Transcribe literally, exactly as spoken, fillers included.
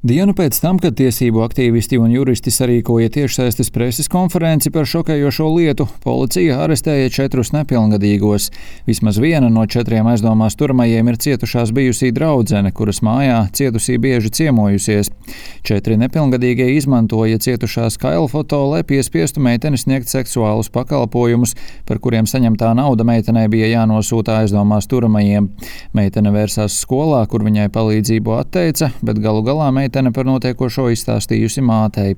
Dienu pēc tam, kad tiesību aktīvisti un juristi sarīkoja tiešsaistes preses konferenci par šokējošo lietu, policija arestēja četrus nepilngadīgos. Vismaz viena no četriem aizdomās turamajiem ir cietušās bijusī draudzene, kuras mājā cietusī bieži ciemojusies. Četri nepilngadīgie izmantoja cietušās kailfoto, lai piespiestu meiteni sniegt seksuālus pakalpojumus, par kuriem saņemtā nauda meitenei bija jānosūta aizdomās turamajiem. Meitene vērsās skolā, kur viņai palīdzību atteica, bet galu galā meitene par notiekošo izstāstījusi mātei.